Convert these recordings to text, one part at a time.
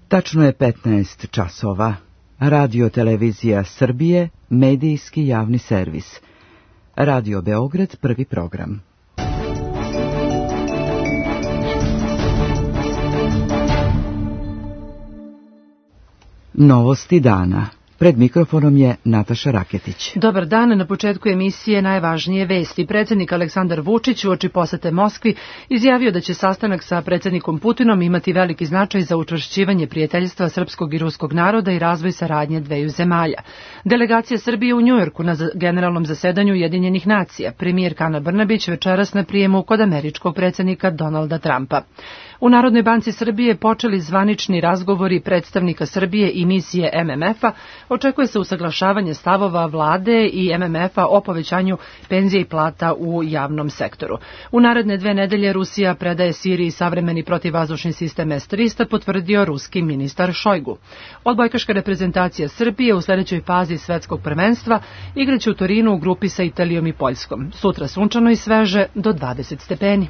Tačno je 15 časova. Radio Televizija Srbije, medijski javni servis. Radio Beograd, prvi program. Novosti dana. Pred mikrofonom je Nataša Raketić. Dobar dan, na početku emisije najvažnije vesti. Predsjednik Aleksandar Vučić uoči posete Moskvi izjavio da će sastanak sa predsjednikom Putinom imati veliki značaj za učvršćivanje prijateljstva srpskog i ruskog naroda i razvoj saradnje dveju zemalja. Delegacija Srbije u Njujorku na generalnom zasedanju Ujedinjenih nacija. Premijerka Ana Brnabić večeras na prijemu kod američkog predsjednika Donalda Trumpa. U Narodnoj banci Srbije počeli zvanični razgovori predstavnika Srbije i misije MMF-a. Očekuje se usaglašavanje stavova vlade i MMF-a o povećanju penzija i plata u javnom sektoru. U naredne 2 nedelje Rusija predaje Siriji savremeni protivvazdušni sistem S-300, potvrdio ruski ministar Šojgu. Odbojkaška reprezentacija Srbije u sljedećoj fazi svetskog prvenstva igraće u Torinu u grupi sa Italijom i Poljskom. Sutra sunčano i sveže do 20 stepeni.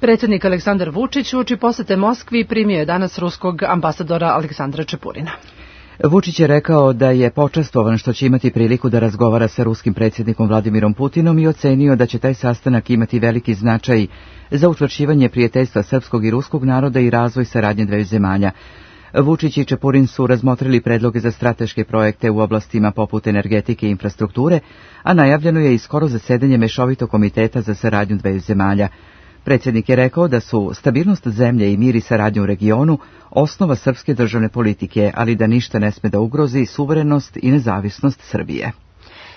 Predsjednik Aleksandar Vučić uoči posete Moskvi primio je danas ruskog ambasadora Aleksandra Čepurina. Vučić je rekao da je počastvovan što će imati priliku da razgovara sa ruskim predsjednikom Vladimirom Putinom i ocenio da će taj sastanak imati veliki značaj za učvršćivanje prijateljstva srpskog i ruskog naroda i razvoj saradnje dveju zemalja. Vučić i Čepurin su razmotrili predloge za strateške projekte u oblastima poput energetike i infrastrukture, a najavljeno je i skoro zasedanje Mešovitog komiteta za saradnju dveju zemalja. Predsjednik je rekao da su stabilnost zemlje i mir i saradnja u regionu osnova srpske državne politike, ali da ništa ne sme da ugrozi suverenost i nezavisnost Srbije.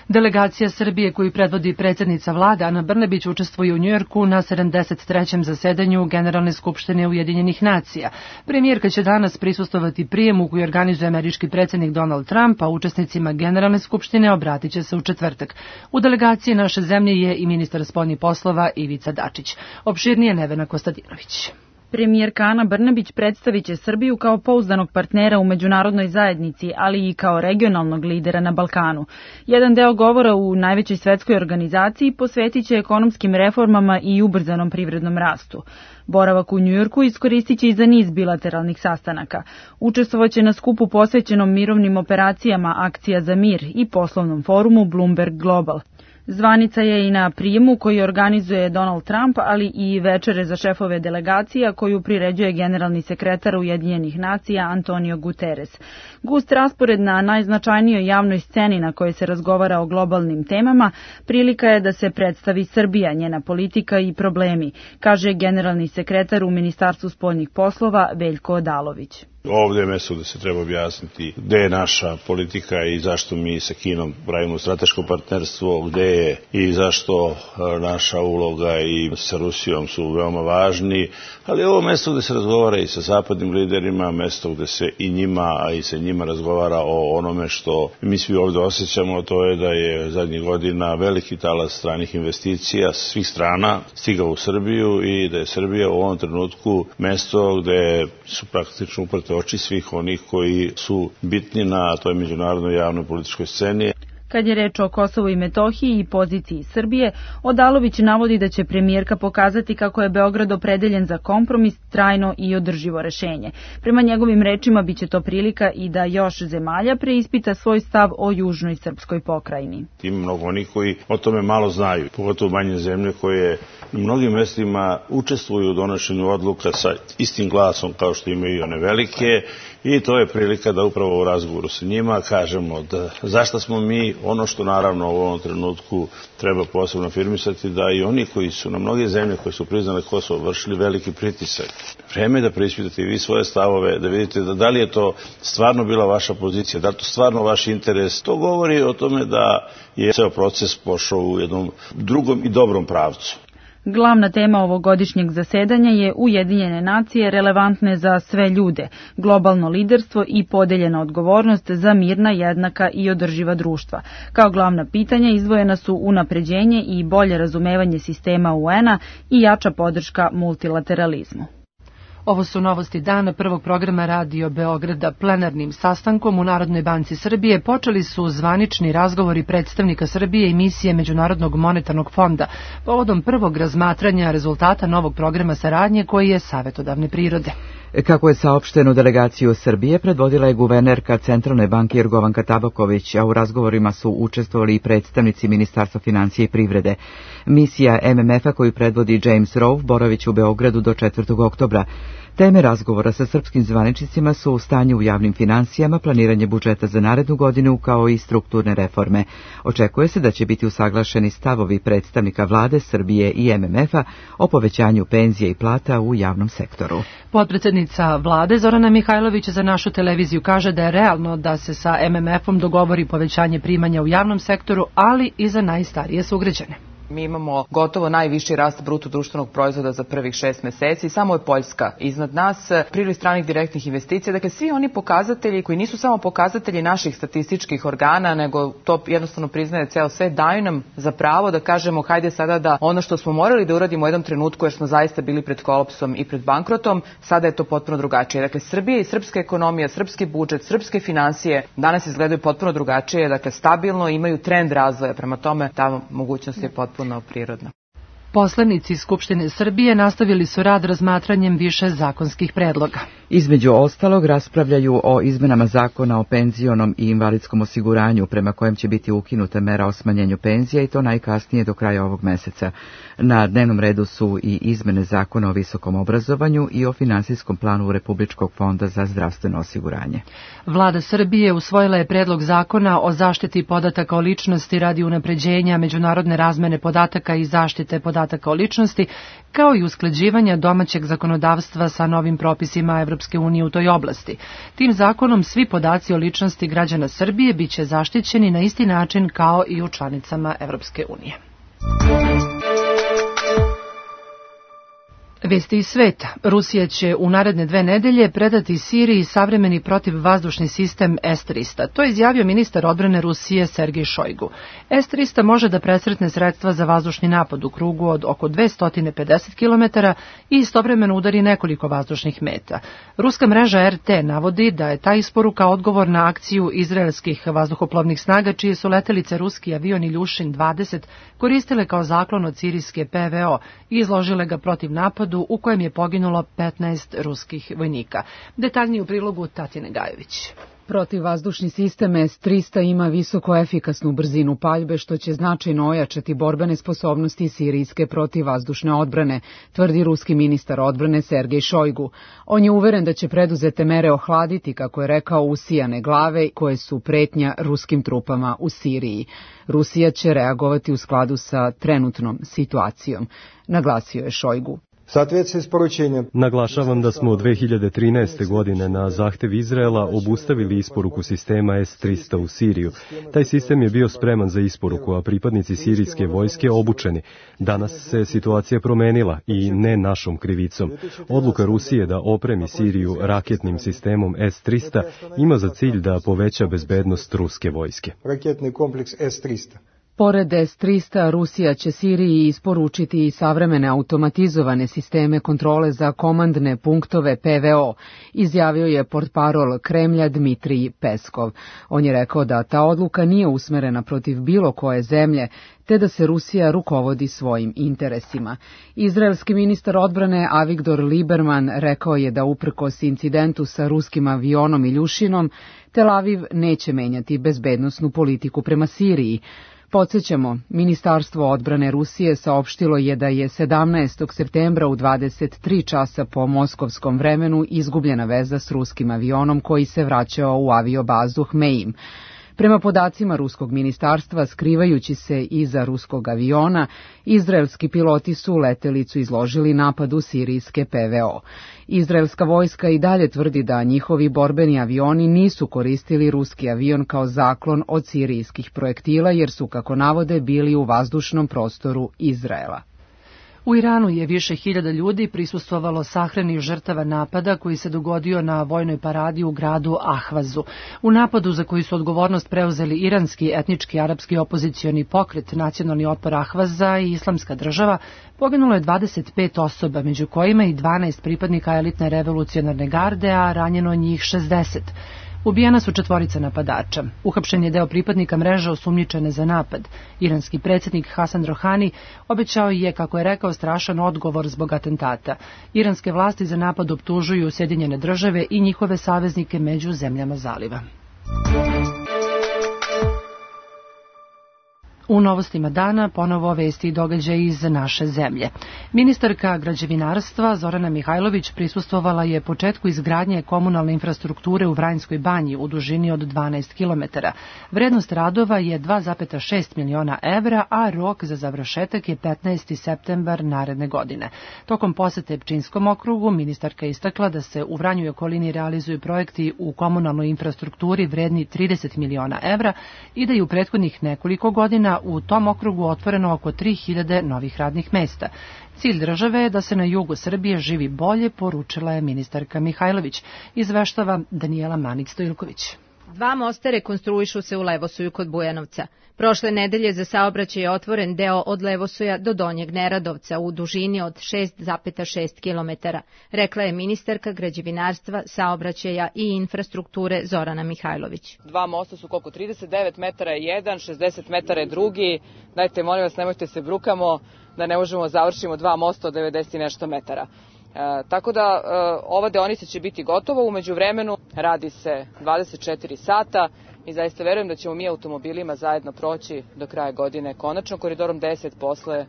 Delegacija Srbije koju predvodi predsjednica vlade Ana Brnabić učestvuje u Njujorku na 73. zasedanju Generalne skupštine Ujedinjenih nacija. Premijerka će danas prisustvovati prijemu koji organizuje američki predsjednik Donald Trump, a učesnicima Generalne skupštine obratit će se u četvrtak. U delegaciji naše zemlje je i ministar spoljnih poslova Ivica Dačić. Opširnije Nevena Kostadinović. Premijerka Ana Brnabić predstavit će Srbiju kao pouzdanog partnera u međunarodnoj zajednici, ali i kao regionalnog lidera na Balkanu. Jedan deo govora u najvećoj svetskoj organizaciji posvetit će ekonomskim reformama i ubrzanom privrednom rastu. Boravak u Njujorku iskoristit će i za niz bilateralnih sastanaka. Učestvovaće na skupu posvećenom mirovnim operacijama Akcija za mir i poslovnom forumu Bloomberg Global. Zvanica je i na prijemu koji organizuje Donald Trump, ali i večere za šefove delegacija koju priređuje generalni sekretar Ujedinjenih nacija Antonio Guterres. Gust raspored na najznačajnijoj javnoj sceni na kojoj se razgovara o globalnim temama prilika je da se predstavi Srbija, njena politika i problemi, kaže generalni sekretar u Ministarstvu spoljnih poslova Veljko Odalović. Ovdje je mjesto gdje se treba objasniti gdje je naša politika i zašto mi sa Kinom pravimo strateško partnerstvo, gdje je i zašto naša uloga i sa Rusijom su veoma važni, ali ovo mjesto gdje se razgovara i sa zapadnim liderima, mjesto gdje se i njima, a i sa njima razgovara o onome što mi svi ovdje osjećamo, to je da je zadnjih godina veliki talas stranih investicija svih strana stigao u Srbiju i da je Srbija u ovom trenutku mjesto gdje su praktično uprte oči svih onih koji su bitni na toj međunarodnoj javnoj političkoj sceni. Kad je reč o Kosovu i Metohiji i poziciji Srbije, Odalović navodi da će premijerka pokazati kako je Beograd opredeljen za kompromis, trajno i održivo rešenje. Prema njegovim rečima biće to prilika i da još zemalja preispita svoj stav o južnoj srpskoj pokrajini. Ima mnogo onih koji o tome malo znaju, pogotovo manje zemlje koje u mnogim mjestima učestvuju u donošenju odluka sa istim glasom kao što imaju i one velike, i to je prilika da upravo u razgovoru sa njima kažemo da zašto smo mi ono što naravno u ovom trenutku treba posebno afirmisati, da i oni koji su na mnoge zemlje koje su priznale Kosovo vršili veliki pritisak. Vreme je da preispitate i vi svoje stavove, da vidite da li je to stvarno bila vaša pozicija, da li je to stvarno vaš interes. To govori o tome da je ceo proces pošao u jednom drugom i dobrom pravcu. Glavna tema ovogodišnjeg zasedanja je Ujedinjene nacije relevantne za sve ljude, globalno liderstvo i podeljena odgovornost za mirna, jednaka i održiva društva. Kao glavna pitanja izdvojena su unapređenje i bolje razumevanje sistema UN-a i jača podrška multilateralizmu. Ovo su novosti dana prvog programa Radio Beograda. Plenarnim sastankom u Narodnoj banci Srbije počeli su zvanični razgovori predstavnika Srbije i misije Međunarodnog monetarnog fonda povodom prvog razmatranja rezultata novog programa saradnje koji je savetodavne prirode. Kako je saopšteno, delegaciju Srbije predvodila je guvernerka Centralne banke Jorgovanka Tabaković, a u razgovorima su učestvovali i predstavnici Ministarstva financija i privrede. Misija MMF-a koju predvodi James Rowe boraviće u Beogradu do 4. oktobra. Teme razgovora sa srpskim zvaničnicima su stanje u javnim finansijama, planiranje budžeta za narednu godinu kao i strukturne reforme. Očekuje se da će biti usaglašeni stavovi predstavnika vlade Srbije i MMF-a o povećanju penzija i plata u javnom sektoru. Potpredsednica vlade Zorana Mihajlović za našu televiziju kaže da je realno da se sa MMF-om dogovori povećanje primanja u javnom sektoru, ali i za najstarije sugrađane. Mi imamo gotovo najviši rast bruto društvenog proizvoda za prvih 6 meseci, samo je Poljska iznad nas, priliv stranih direktnih investicija, dakle svi oni pokazatelji koji nisu samo pokazatelji naših statističkih organa, nego to jednostavno priznaje ceo svet, daju nam za pravo da kažemo hajde sada da ono što smo morali da uradimo u jednom trenutku jer smo zaista bili pred kolapsom i pred bankrotom, sada je to potpuno drugačije. Dakle, Srbija i srpska ekonomija, srpski budžet, srpske finansije danas izgledaju potpuno drugačije, dakle stabilno imaju trend razvoja, prema tome ta mogućnost je potpuno prirodno. Poslanici Skupštine Srbije nastavili su rad razmatranjem više zakonskih predloga. Između ostalog raspravljaju o izmenama zakona o penzionom i invalidskom osiguranju, prema kojem će biti ukinuta mera o smanjenju penzija i to najkasnije do kraja ovog meseca. Na dnevnom redu su i izmene zakona o visokom obrazovanju i o finansijskom planu Republičkog fonda za zdravstveno osiguranje. Vlada Srbije usvojila je predlog zakona o zaštiti podataka o ličnosti radi unapređenja međunarodne razmene podataka i zaštite podataka o ličnosti, kao i usklađivanja domaćeg zakonodavstva sa novim propisima Evropske unije u toj oblasti. Tim zakonom svi podaci o ličnosti građana Srbije biće zaštićeni na isti način kao i u članicama Evropske unije. Vesti iz sveta. Rusija će u naredne 2 nedelje predati Siriji savremeni protivvazdušni sistem S-300. To je izjavio ministar odbrane Rusije Sergej Šojgu. S-300 može da presretne sredstva za vazdušni napad u krugu od oko 250 km i istovremeno udari nekoliko vazdušnih meta. Ruska mreža RT navodi da je ta isporuka odgovor na akciju izraelskih vazduhoplovnih snaga, čije su letelice ruski avion Iljušin 20 koristile kao zaklon od sirijske PVO i izložile ga protiv napadu u kojem je poginulo 15 ruskih vojnika. Detaljnije u prilogu Tatjane Gajović. Protivvazdušni sistem S-300 ima visoko efikasnu brzinu paljbe, što će značajno ojačati borbene sposobnosti sirijske protivvazdušne odbrane, tvrdi ruski ministar odbrane Sergej Šojgu. On je uveren da će preduzete mere ohladiti, kako je rekao, usijane glave koje su pretnja ruskim trupama u Siriji. Rusija će reagovati u skladu sa trenutnom situacijom, naglasio je Šojgu. Naglašavam da smo od 2013. godine na zahtev Izraela obustavili isporuku sistema S-300 u Siriju. Taj sistem je bio spreman za isporuku, a pripadnici sirijske vojske obučeni. Danas se situacija promenila i ne našom krivicom. Odluka Rusije da opremi Siriju raketnim sistemom S-300 ima za cilj da poveća bezbednost ruske vojske. Raketni kompleks S-300. Pored S-300, Rusija će Siriji isporučiti i savremene automatizovane sisteme kontrole za komandne punktove PVO, izjavio je portparol Kremlja Dmitrij Peskov. On je rekao da ta odluka nije usmerena protiv bilo koje zemlje, te da se Rusija rukovodi svojim interesima. Izraelski ministar odbrane Avigdor Lieberman rekao je da uprkos incidentu sa ruskim avionom Iljušinom, Tel Aviv neće menjati bezbednosnu politiku prema Siriji. Podsjećamo, Ministarstvo odbrane Rusije saopštilo je da je 17. septembra u 23 časa po moskovskom vremenu izgubljena veza s ruskim avionom koji se vraćao u aviobazu Hmeim. Prema podacima ruskog ministarstva, skrivajući se iza ruskog aviona, izraelski piloti su letelicu izložili napadu sirijske PVO. Izraelska vojska i dalje tvrdi da njihovi borbeni avioni nisu koristili ruski avion kao zaklon od sirijskih projektila, jer su, kako navode, bili u vazdušnom prostoru Izraela. U Iranu je više hiljada ljudi prisustvovalo sahrani žrtava napada koji se dogodio na vojnoj paradi u gradu Ahvazu. U napadu za koji su odgovornost preuzeli iranski etnički arapski opozicioni pokret Nacionalni otpor Ahvaza i Islamska država poginulo je 25 osoba, među kojima i 12 pripadnika elitne revolucionarne garde, a ranjeno njih 60. Ubijena su 4 napadača. Uhapšen je deo pripadnika mreže osumnjičene za napad. Iranski predsjednik Hasan Rohani obećao je, kako je rekao, strašan odgovor zbog atentata. Iranske vlasti za napad optužuju Sjedinjene države i njihove saveznike među zemljama zaliva. U novostima dana ponovo vesti i događaji iz naše zemlje. Ministarka građevinarstva Zorana Mihajlović prisustvovala je početku izgradnje komunalne infrastrukture u Vranjskoj banji u dužini od 12 km. Vrednost radova je 2,6 miliona evra, a rok za završetak je 15. septembar naredne godine. Tokom posete Pčinjskom okrugu ministarka istakla da se u Vranju i okolini realizuju projekti u komunalnoj infrastrukturi vredni 30 miliona evra i da je u prethodnih nekoliko godina u tom okrugu otvoreno oko 3000 novih radnih mesta. Cilj države je da se na jugu Srbije živi bolje, poručila je ministarka Mihajlović, izveštava Danijela Manić-Stojilković. 2 mosta rekonstruišu se u Levosoju kod Bujanovca. Prošle nedelje za saobraćaj je otvoren deo od Levosoja do Donjeg Neradovca u dužini od 6,6 km, rekla je ministarka građevinarstva, saobraćaja i infrastrukture Zorana Mihajlović. 2 mosta su koliko? 39 metara je jedan, 60 metara je drugi. Dajte, molim vas, nemojte se brukamo da ne možemo završimo 2 mosta od 90 i nešto metara. Tako da ova deonica će biti gotova, umeđu vremenu radi se 24 sata i zaista verujem da ćemo mi automobilima zajedno proći do kraja godine, konačno koridorom 10 posle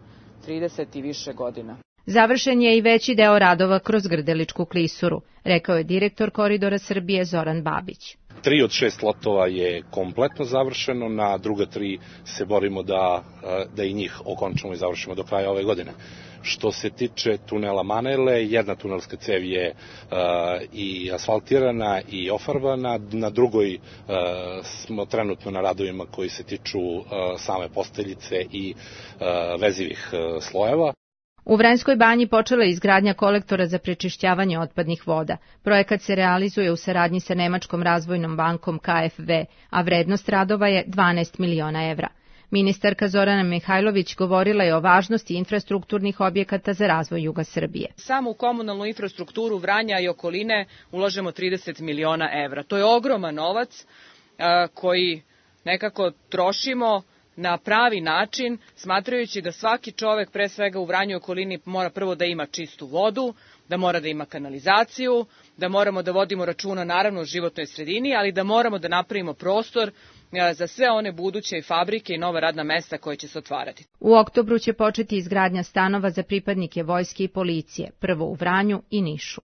30 i više godina. Završen je i veći deo radova kroz Grdeličku klisuru, rekao je direktor Koridora Srbije Zoran Babić. 3 od 6 lotova je kompletno završeno, na druga 3 se borimo da i njih okončamo i završimo do kraja ove godine. Što se tiče tunela Manele, jedna tunelska cev je i asfaltirana i ofarbana, na drugoj smo trenutno na radovima koji se tiču same posteljice i vezivih slojeva. U Vranjskoj banji počela je izgradnja kolektora za prečišćavanje otpadnih voda. Projekat se realizuje u saradnji sa Nemačkom razvojnom bankom KfW, a vrednost radova je 12 miliona evra. Ministarka Zorana Mihajlović govorila je o važnosti infrastrukturnih objekata za razvoj juga Srbije. Samo u komunalnu infrastrukturu Vranja i okoline ulažemo 30 miliona evra. To je ogroman novac koji nekako trošimo na pravi način, smatrajući da svaki čovek, pre svega u Vranju i okolini, mora prvo da ima čistu vodu, da mora da ima kanalizaciju, da moramo da vodimo računa naravno o životnoj sredini, ali da moramo da napravimo prostor za sve one buduće fabrike i nova radna mesta koje će se otvarati. U oktobru će početi izgradnja stanova za pripadnike vojske i policije, prvo u Vranju i Nišu.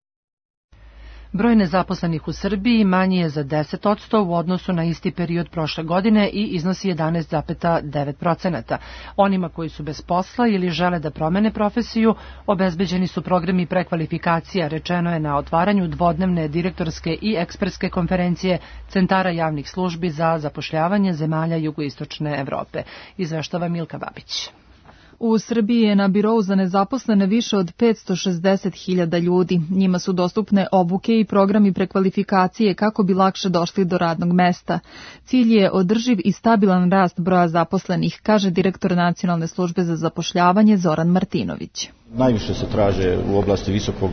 Broj nezaposlenih u Srbiji manji je za 10% u odnosu na isti period prošle godine i iznosi 11,9%. Onima koji su bez posla ili žele da promene profesiju, obezbeđeni su programi prekvalifikacija, rečeno je na otvaranju dvodnevne direktorske i ekspertske konferencije Centara javnih službi za zapošljavanje zemalja jugoistočne Evrope, izveštava Milka Babić. U Srbiji je na birou za nezaposlene više od 560.000 ljudi. Njima su dostupne obuke i programi prekvalifikacije kako bi lakše došli do radnog mesta. Cilj je održiv i stabilan rast broja zaposlenih, kaže direktor Nacionalne službe za zapošljavanje Zoran Martinović. Najviše se traže u oblasti visokog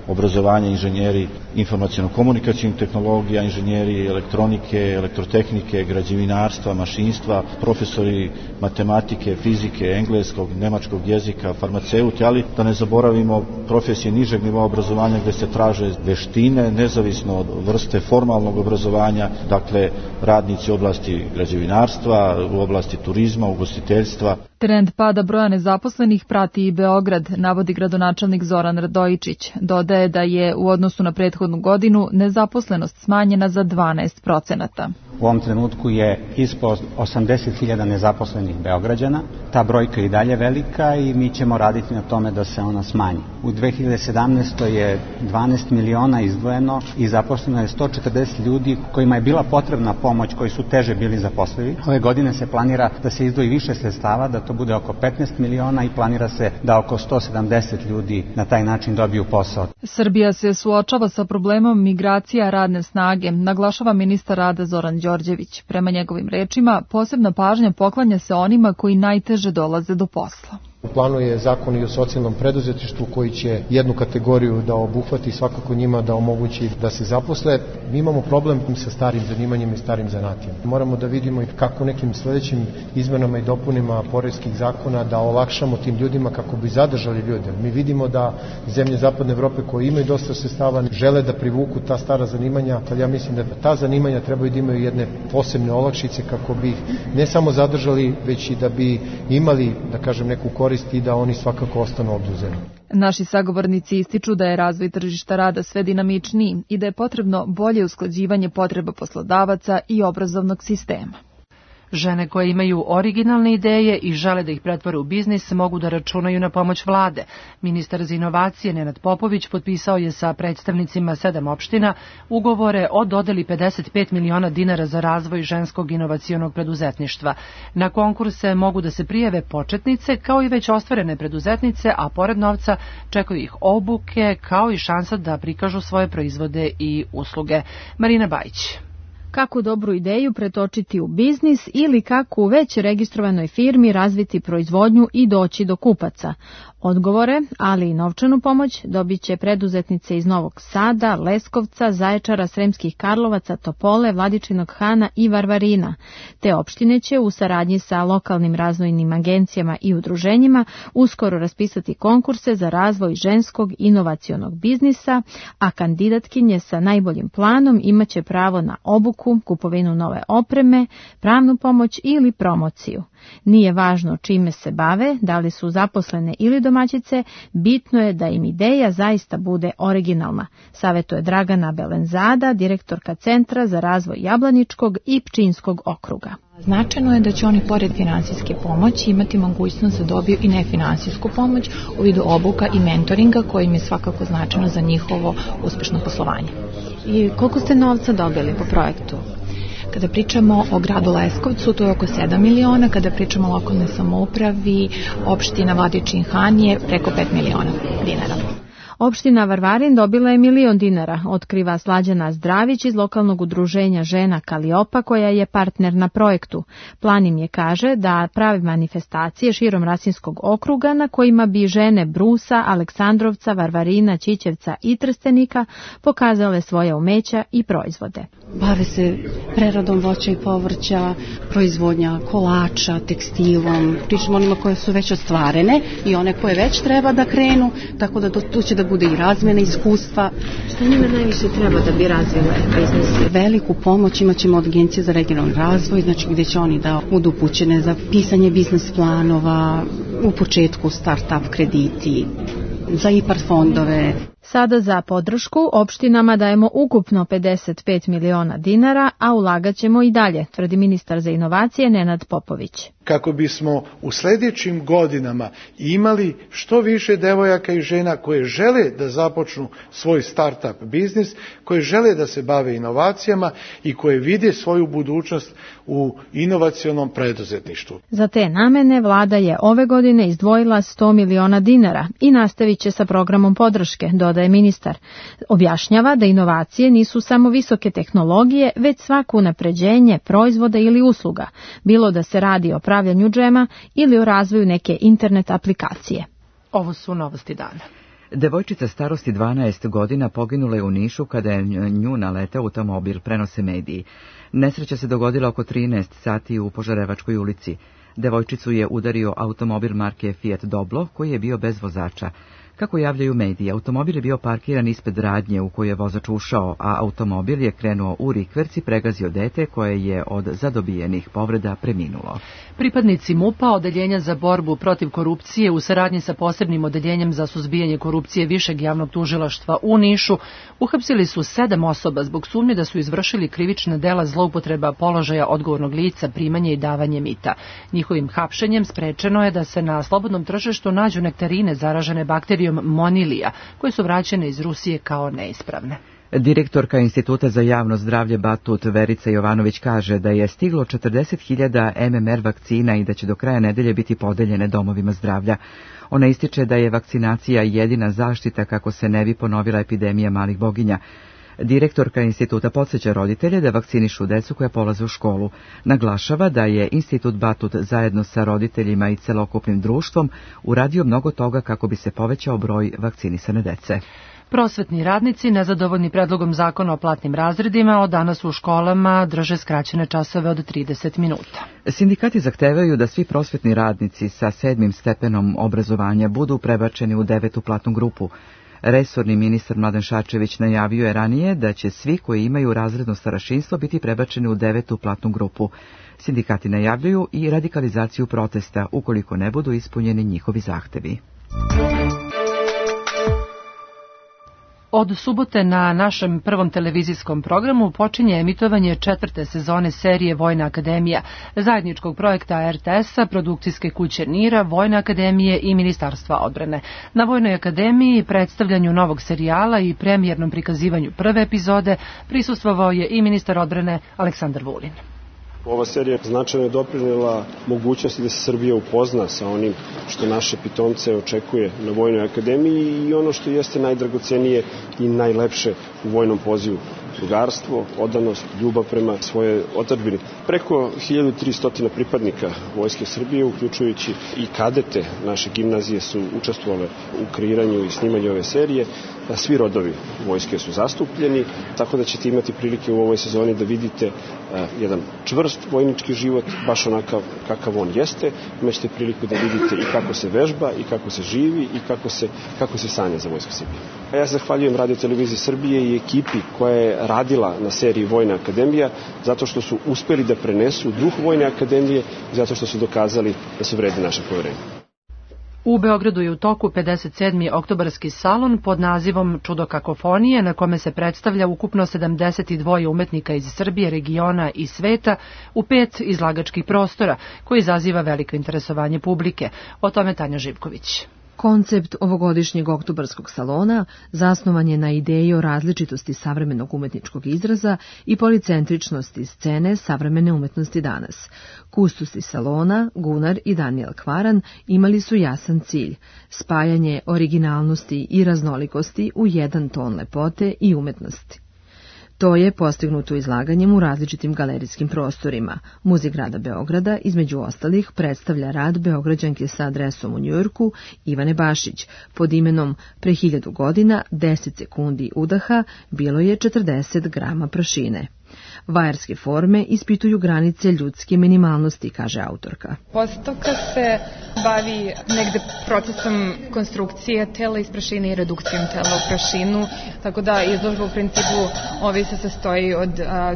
obrazovanja inženjeri informaciono-komunikacijnih tehnologija, inženjeri elektronike, elektrotehnike, građevinarstva, mašinstva, profesori matematike, fizike, engleskog, nemačkog jezika, farmaceuti, ali da ne zaboravimo profesije nižeg nivoa obrazovanja gde se traže veštine, nezavisno od vrste formalnog obrazovanja, dakle radnici u oblasti građevinarstva, u oblasti turizma, ugostiteljstva. Trend pada broja nezaposlenih prati i Beograd, navodi gradonačelnik Zoran Radojičić. Dodaje da je u odnosu na prethodnu godinu nezaposlenost smanjena za 12%. U ovom trenutku je ispod 80.000 nezaposlenih Beograđana. Ta brojka je i dalje velika i mi ćemo raditi na tome da se ona smanji. U 2017. je 12 miliona izdvojeno i zaposleno je 140 ljudi kojima je bila potrebna pomoć, koji su teže bili zaposlivi. Ove godine se planira da se izdvoji više sredstava, da to to bude oko 15 miliona i planira se da oko 170 ljudi na taj način dobiju posao. Srbija se suočava sa problemom migracija radne snage, naglašava ministar rada Zoran Đorđević. Prema njegovim rečima, posebna pažnja poklanja se onima koji najteže dolaze do posla. U planu je zakon i o socijalnom preduzetništvu koji će jednu kategoriju da obuhvati i svakako njima da omogući da se zaposle. Mi imamo problem sa starim zanimanjima i starim zanatima. Moramo da vidimo i kako nekim sledećim izmenama i dopunima poreskih zakona da olakšamo tim ljudima kako bi zadržali ljude. Mi vidimo da zemlje Zapadne Evrope koje imaju dosta sredstava žele da privuku ta stara zanimanja, ali ja mislim da ta zanimanja trebaju da imaju jedne posebne olakšice kako bi ih ne samo zadržali, već i da bi imali, da kažem, neku korist i da oni svakako ostanu obzuzeni. Naši sagovornici ističu da je razvoj tržišta rada sve dinamičniji i da je potrebno bolje usklađivanje potreba poslodavaca i obrazovnog sistema. Žene koje imaju originalne ideje i žele da ih pretvore u biznis mogu da računaju na pomoć vlade. Ministar za inovacije Nenad Popović potpisao je sa predstavnicima 7 opština ugovore o dodeli 55 miliona dinara za razvoj ženskog inovacionog preduzetništva. Na konkurse mogu da se prijave početnice kao i već ostvarene preduzetnice, a pored novca čekaju ih obuke kao i šansa da prikažu svoje proizvode i usluge. Marina Bajić. Kako dobru ideju pretočiti u biznis ili kako u već registrovanoj firmi razviti proizvodnju i doći do kupaca. Odgovore, ali i novčanu pomoć dobit će preduzetnice iz Novog Sada, Leskovca, Zaječara, Sremskih Karlovaca, Topole, Vladičinog Hana i Varvarina. Te opštine će u saradnji sa lokalnim razvojnim agencijama i udruženjima uskoro raspisati konkurse za razvoj ženskog inovacionog biznisa, a kandidatkinje sa najboljim planom imaće pravo na obuku, kupovinu nove opreme, pravnu pomoć ili promociju. Nije važno čime se bave, da li su zaposlene ili domaćice, bitno je da im ideja zaista bude originalna, savetuje Dragana Belenzada, direktorka Centra za razvoj Jablaničkog i Pčinjskog okruga. Značajno je da će oni pored finansijske pomoći imati mogućnost da dobiju i nefinansijsku pomoć u vidu obuka i mentoringa koji im je svakako značajno za njihovo uspešno poslovanje. I koliko ste novca dobili po projektu? Kada pričamo o gradu Leskovcu, to je oko 7 miliona, kada pričamo o lokalnoj samoupravi, opština Vladičin Han je preko 5 miliona dinara. Opština Varvarin dobila je 1 milion dinara, otkriva Slađana Zdravić iz lokalnog udruženja žena Kaliopa koja je partner na projektu. Plan im je, kaže, da prave manifestacije širom Rasinskog okruga na kojima bi žene Brusa, Aleksandrovca, Varvarina, Ćićevca i Trstenika pokazale svoje umeća i proizvode. Bave se preradom voća i povrća, proizvodnja kolača, tekstilom, pričamo onima koje su već ostvarene i one koje već treba da krenu, tako da tu će da bude i razmjena iskustva. Što njima najviše treba da bi razvile biznis? Veliku pomoć imat ćemo od Agencije za regionalni razvoj, znači gdje će oni da budu upućene za pisanje biznis planova, u početku start-up krediti, za IPARD fondove. Sada za podršku opštinama dajemo ukupno 55 miliona dinara, a ulagat ćemo i dalje, tvrdi ministar za inovacije Nenad Popović. Kako bismo u sljedećim godinama imali što više devojaka i žena koje žele da započnu svoj start-up biznis, koje žele da se bave inovacijama i koje vide svoju budućnost u inovacionom preduzetništvu. Za te namene vlada je ove godine izdvojila 100 miliona dinara i nastavit će sa programom podrške, dodaje ministar. Objašnjava da inovacije nisu samo visoke tehnologije, već svako unapređenje proizvoda ili usluga, bilo da se radi o pravljanju džema ili o razvoju neke internet aplikacije. Ovo su novosti dana. Devojčica starosti 12 godina poginula je u Nišu kada je nju naleteo automobil, prenose mediji. Nesreća se dogodila oko 13 sati u Požarevačkoj ulici. Devojčicu je udario automobil marke Fiat Doblo koji je bio bez vozača. Kako javljaju mediji, automobil je bio parkiran ispred radnje u koju je vozač ušao, a automobil je krenuo u rikverc i pregazio dete koje je od zadobijenih povreda preminulo. Pripadnici MUP-a, Odeljenja za borbu protiv korupcije, u saradnji sa posebnim odeljenjem za suzbijanje korupcije Višeg javnog tužilaštva u Nišu, uhapsili su 7 osoba zbog sumnje da su izvršili krivična dela zloupotreba položaja odgovornog lica, primanje i davanje mita. Njihovim hapšenjem sprečeno je da se na slobodnom tržištu nađu nektarine zaražene bakterijom Monilija, koje su vraćene iz Rusije kao neispravne. Direktorka Instituta za javno zdravlje Batut Verica Jovanović kaže da je stiglo 40.000 MMR vakcina i da će do kraja nedelje biti podeljene domovima zdravlja. Ona ističe da je vakcinacija jedina zaštita kako se ne bi ponovila epidemija malih boginja. Direktorka instituta podsjeća roditelje da vakcinišu decu koja polaze u školu. Naglašava da je Institut Batut zajedno sa roditeljima i celokupnim društvom uradio mnogo toga kako bi se povećao broj vakcinisane dece. Prosvetni radnici, nezadovoljni predlogom zakona o platnim razredima, od danas u školama drže skraćene časove od 30 minuta. Sindikati zahtevaju da svi prosvetni radnici sa 7. stepenom obrazovanja budu prebačeni u 9. platnu grupu. Resorni ministar Mladen Šarčević najavio je ranije da će svi koji imaju razredno starešinstvo biti prebačeni u 9. platnu grupu. Sindikati najavljuju i radikalizaciju protesta ukoliko ne budu ispunjeni njihovi zahtevi. Od subote na našem prvom televizijskom programu počinje emitovanje 4. sezone serije Vojna akademija, zajedničkog projekta RTS-a, produkcijske kuće NIR-a, Vojne akademije i Ministarstva odbrane. Na Vojnoj akademiji, predstavljanju novog serijala i premijernom prikazivanju prve epizode prisustvovao je i ministar odbrane Aleksandar Vulin. Ova serija značajno je doprinela mogućnosti da se Srbija upozna sa onim što naše pitomce očekuje na Vojnoj akademiji i ono što jeste najdragocenije i najlepše u vojnom pozivu. Drugarstvo, odanost, ljubav prema svojoj otadžbini. Preko 1300 pripadnika Vojske Srbije, uključujući i kadete naše gimnazije, su učestvovale u kreiranju i snimanju ove serije. Svi rodovi vojske su zastupljeni, tako da ćete imati prilike u ovoj sezoni da vidite jedan čvrst vojnički život, baš onakav kakav on jeste. Imaćete priliku da vidite i kako se vežba, i kako se živi, i kako se sanja za Vojsku Srbije. Ja se zahvaljujem Radio Televiziji Srbije i ekipi koja je radila na seriji Vojna akademija, zato što su uspeli da prenesu duh Vojne akademije i zato što su dokazali da su vredni naše poverenje. U Beogradu je u toku 57. oktobarski salon pod nazivom Čudo kakofonije, na kome se predstavlja ukupno 72 umetnika iz Srbije, regiona i sveta u 5 izlagačkih prostora, koji izaziva veliko interesovanje publike. O tome Tanja Živković. Koncept ovogodišnjeg oktobarskog salona zasnovan je na ideji o različitosti savremenog umetničkog izraza i policentričnosti scene savremene umetnosti danas. Kustosi salona, Gunar i Daniel Kvaran, imali su jasan cilj – spajanje originalnosti i raznolikosti u jedan ton lepote i umetnosti. To je postignuto izlaganjem u različitim galerijskim prostorima. Muzej grada Beograda, između ostalih, predstavlja rad Beograđanke sa adresom u Njujorku Ivane Bašić. Pod imenom Pre 1000 godina, 10 sekundi udaha, bilo je 40 grama prašine. Vajarske forme ispituju granice ljudske minimalnosti, kaže autorka. Postavka se bavi negde procesom konstrukcije tela iz prašine i redukcijom tela u prašinu, tako da izložba u principu se sastoji od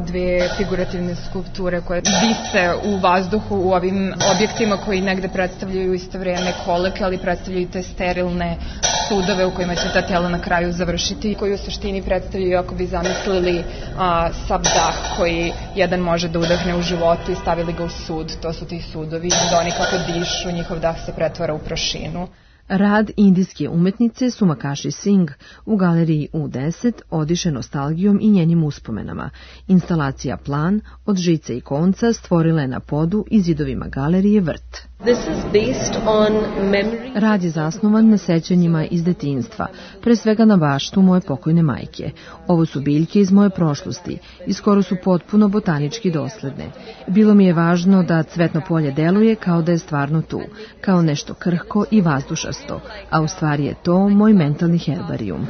dve figurativne skulpture koje vise u vazduhu u ovim objektima koji negde predstavljaju isto vreme koleke, ali predstavljaju te sterilne sudove u kojima će ta tela na kraju završiti, koji u suštini predstavljaju, ako bi zamislili sav dah koji jedan može da udahne u životu i stavili ga u sud. To su ti sudovi, da oni kako dišu, njihov dah se pretvara u prašinu. Rad indijske umetnice Sumakaši Singh u galeriji U10 odiše nostalgijom i njenim uspomenama. Instalacija Plan od žice i konca stvorila je na podu i zidovima galerije Vrt. Rad je zasnovan na sećanjima iz detinjstva, pre svega na baštu moje pokojne majke. Ovo su biljke iz moje prošlosti i skoro su potpuno botanički dosledne. Bilo mi je važno da cvetno polje deluje kao da je stvarno tu, kao nešto krhko i vazdušasto, a u stvari je to moj mentalni herbarijum.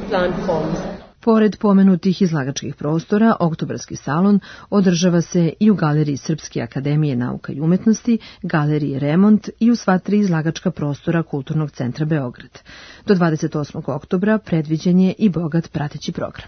Pored pomenutih izlagačkih prostora, oktobarski salon održava se i u Galeriji Srpske akademije nauka i umetnosti, Galeriji Remont i u sva 3 izlagačka prostora Kulturnog centra Beograd. Do 28. oktobra predviđen je i bogat prateći program.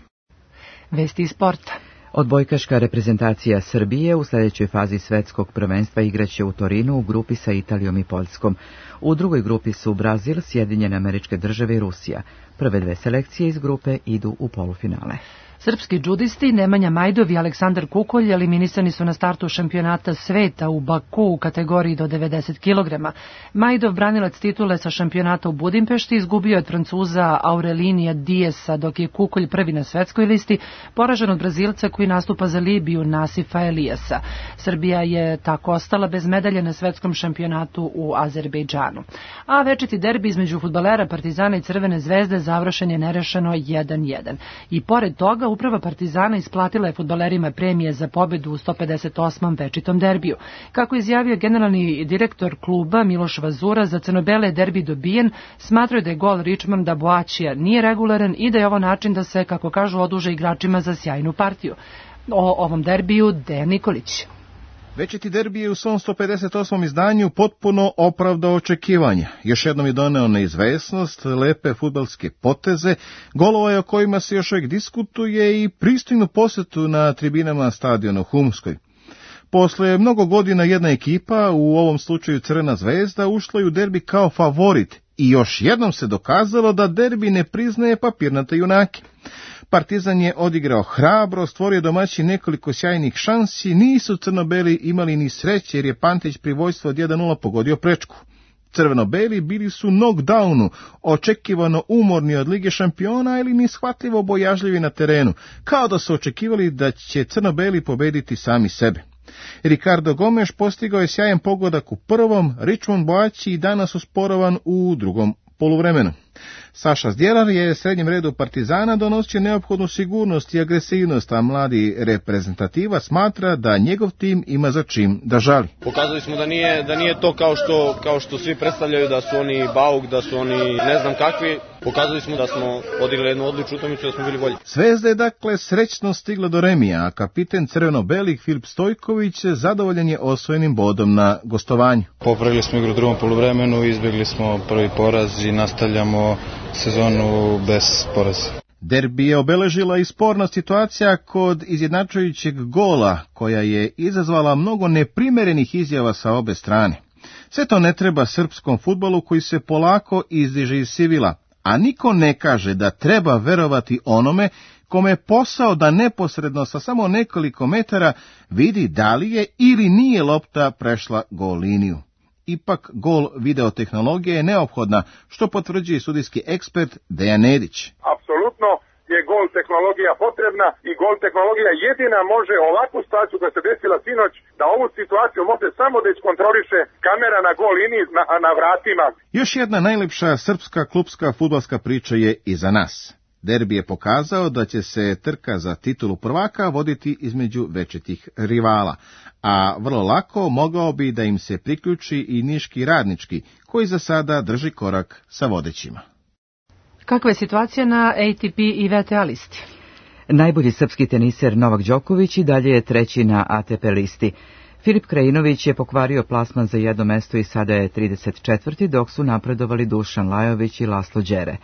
Vesti iz sporta. Odbojkaška reprezentacija Srbije u sljedećoj fazi svetskog prvenstva igraće u Torinu u grupi sa Italijom i Poljskom. U drugoj grupi su Brazil, Sjedinjene Američke Države i Rusija. Prve 2 selekcije iz grupe idu u polufinale. Srpski džudisti Nemanja Majdov i Aleksandar Kukolj eliminisani su na startu šampionata sveta u Baku u kategoriji do 90 kg. Majdov, branilac titule sa šampionata u Budimpešti, izgubio od Francuza Aurelinija Diesa, dok je Kukolj prvi na svetskoj listi, poražen od Brazilca koji nastupa za Libiju Nasifa Elijasa. Srbija je tako ostala bez medalje na svetskom šampionatu u Azerbejdžanu. A večiti derbi između fudbalera Partizana i Crvene zvezde završen je nerešeno 1:1. I pored toga uprava Partizana isplatila je fudbalerima premije za pobedu u 158. večitom derbiju. Kako izjavio generalni direktor kluba Miloš Vazura, za crnobele je derbi dobijen, smatraju da je gol Richmonda Boačija nije regularan i da je ovo način da se, kako kažu, oduže igračima za sjajnu partiju. O ovom derbiju Dejan Nikolić. Večiti derbi je u svom 158. izdanju potpuno opravdao očekivanja. Još jednom je doneo neizvesnost, lepe fudbalske poteze, golova o kojima se još uvijek diskutuje i pristojnu posetu na tribinama stadiona u Humskoj. Posle mnogo godina jedna ekipa, u ovom slučaju Crvena zvezda, ušla je u derbi kao favorit i još jednom se dokazalo da derbi ne priznaje papirnate junake. Partizan je odigrao hrabro, stvorio domaći nekoliko sjajnih šansi, nisu crnobeli imali ni sreće jer je Pantić pri vojstvu od 1:0 pogodio prečku. Crveno-beli bili su knockdownu, očekivano umorni od Lige šampiona ili neshvatljivo bojažljivi na terenu, kao da su očekivali da će crno-beli pobediti sami sebe. Ricardo Gomes postigao je sjajan pogodak u prvom, Richmond Boači danas usporovan u drugom poluvremenu. Saša Zdjelar je srednjem redu Partizana donosio neophodnu sigurnost i agresivnost, a mladi reprezentativa smatra da njegov tim ima za čim da žali. Pokazali smo da nije to kao što svi predstavljaju, da su oni bauk, da su oni ne znam kakvi. Pokazali smo da smo odigrali jednu odličnu utakmicu, da smo bili bolji. Zvezda je dakle srećno stigla do remija, a kapiten crveno-belih Filip Stojković zadovoljan je osvojenim bodom na gostovanju. Popravili smo igru u drugom poluvremenu, izbjegli smo prvi poraz i nastavljamo sezonu bez poraza. Derbi je obeležila i sporna situacija kod izjednačujućeg gola, koja je izazvala mnogo neprimerenih izjava sa obe strane. Sve to ne treba srpskom fudbalu koji se polako izdiže iz sivila, a niko ne kaže da treba verovati onome kome je posao da neposredno sa samo nekoliko metara vidi da li je ili nije lopta prešla gol liniju. Ipak gol videotehnologije je neophodna, što potvrđuje sudijski ekspert Dejan Nedić. Apsolutno je gol tehnologija potrebna i gol tehnologija jedina može ovakvu situaciju koja se desila sinoć, da ovu situaciju može samo da iskontroliše kamera na gol liniji na vratima. Još jedna najlepša srpska klubska fudbalska priča je iza nas. Derbi je pokazao da će se trka za titulu prvaka voditi između večitih rivala, a vrlo lako mogao bi da im se priključi i niški Radnički, koji za sada drži korak sa vodećima. Kakva je situacija na ATP i WTA listi? Najbolji srpski teniser Novak Đoković i dalje je treći na ATP listi. Filip Krajinović je pokvario plasman za jedno mesto i sada je 34. dok su napredovali Dušan Lajović i Laslo Đere.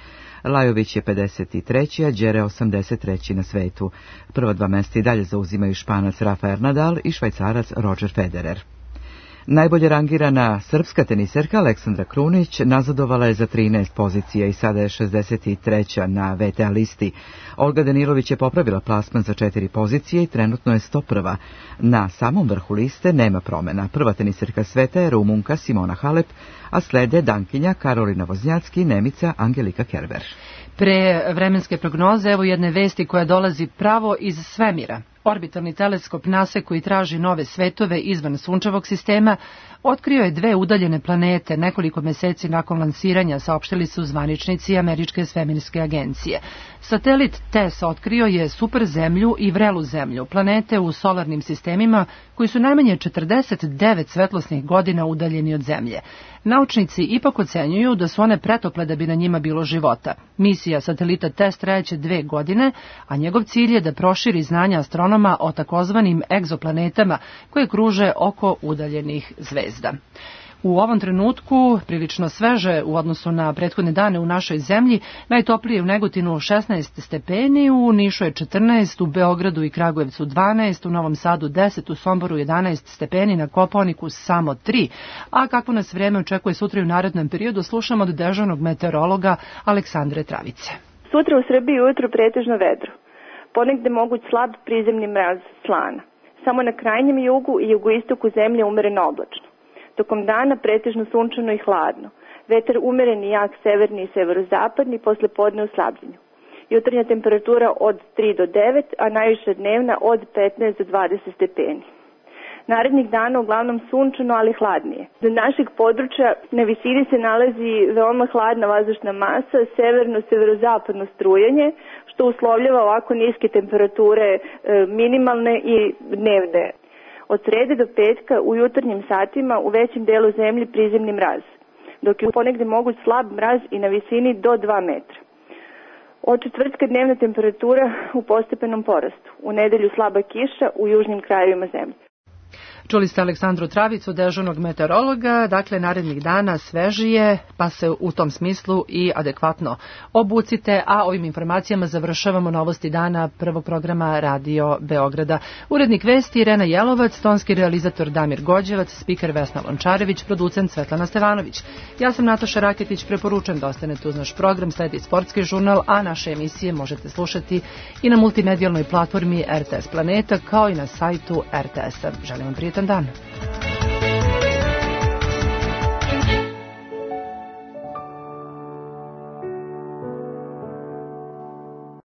Lajović je 53. a Đere 83. na svetu. Prva dva mesta i dalje zauzimaju Španac Rafael Nadal i Švajcarac Roger Federer. Najbolje rangirana srpska teniserka Aleksandra Krunić nazadovala je za 13 pozicija i sada je 63. na WTA listi. Olga Danilović je popravila plasman za 4 pozicije i trenutno je 101. Na samom vrhu liste nema promjena. Prva teniserka sveta je Rumunka Simona Halep, a slede Dankinja Karolina Voznjacki i Nemica Angelika Kerber. Pre vremenske prognoze, evo jedne vesti koja dolazi pravo iz svemira. Orbitalni teleskop NASA, koji traži nove svetove izvan sunčevog sistema, otkrio je 2 udaljene planete nekoliko meseci nakon lansiranja, saopštili su zvaničnici Američke svemirske agencije. Satelit TESS otkrio je super zemlju i vrelu zemlju, planete u solarnim sistemima koji su najmanje 49 svetlosnih godina udaljeni od Zemlje. Naučnici ipak ocenjuju da su one pretople da bi na njima bilo života. Misija satelita TESS trajaće 2 godine, a njegov cilj je da proširi znanja astronoma o takozvanim egzoplanetama koje kruže oko udaljenih zvezda. U ovom trenutku, prilično sveže u odnosu na prethodne dane u našoj zemlji, najtoplije u Negotinu 16 stepeni, u Nišu je 14, u Beogradu i Kragujevcu 12, u Novom Sadu 10, u Somboru 11 stepeni, na Kopaoniku samo 3. A kako nas vreme očekuje sutra i u narednom periodu, slušamo od dežurnog meteorologa Aleksandre Travice. Sutra u Srbiji ujutru pretežno vedro. ponegde moguć slab prizemni mraz slana. Samo na krajnjem jugu i jugoistoku zemlje umereno oblačno. Tokom dana pretežno sunčano i hladno. Vetar umeren i jak severni i severozapadni, posle podne u slabljenju. Jutarnja temperatura od 3 do 9, a najviša dnevna od 15 do 20 stepeni. Narednih dana uglavnom sunčano, ali hladnije. Do našeg područja na visini se nalazi veoma hladna vazdušna masa, severno-severozapadno strujanje, što uslovljava ovako niske temperature minimalne i dnevne. Od srede do petka u jutarnjim satima u većem delu zemlje prizemni mraz, dok je ponegde moguć slab mraz i na visini do 2 metra. Od četvrtka dnevna temperatura u postepenom porastu. U nedelju slaba kiša u južnim krajevima zemlje. Čuli ste Aleksandru Travicu, dežurnog meteorologa, dakle narednih dana svežije, pa se u tom smislu i adekvatno obucite, a ovim informacijama završavamo novosti dana prvog programa Radio Beograda. Urednik vesti Irena Jelovac, tonski realizator Damir Gođevac, spiker Vesna Lončarević, producent Svetlana Stevanović. Ja sam Nataša Raketić, preporučujem da ostanete uz naš program, sledi sportski žurnal, a naše emisije možete slušati i na multimedijalnoj platformi RTS Planeta, kao i na sajtu RTS-a. Želim vam prijetan dan.